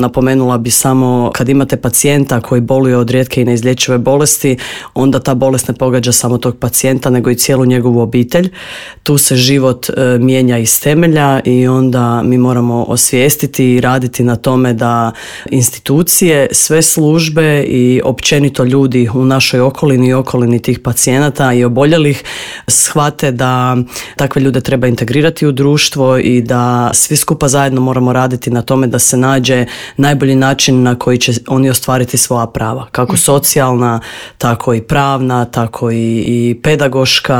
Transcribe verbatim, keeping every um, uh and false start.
Napomenula bi samo kad imate pacijenta koji boluje od rijetke i neizlječive bolesti, onda ta bolest ne pogađa samo tog pacijenta nego i cijelu njegovu obitelj. Tu se život e, mijenja iz temelja i onda mi moramo osvijestiti i raditi na tome da institucije, sve službe i općenito ljudi u našoj okolini i okolini tih pacijenata i oboljelih shvate da takve ljude treba integrirati u društvo i da svi skupa zajedno moramo raditi na tome da se nađe najbolji način na koji će oni ostvariti svoja prava, kako socijalna, tako i pravna, tako i, i pedagoška,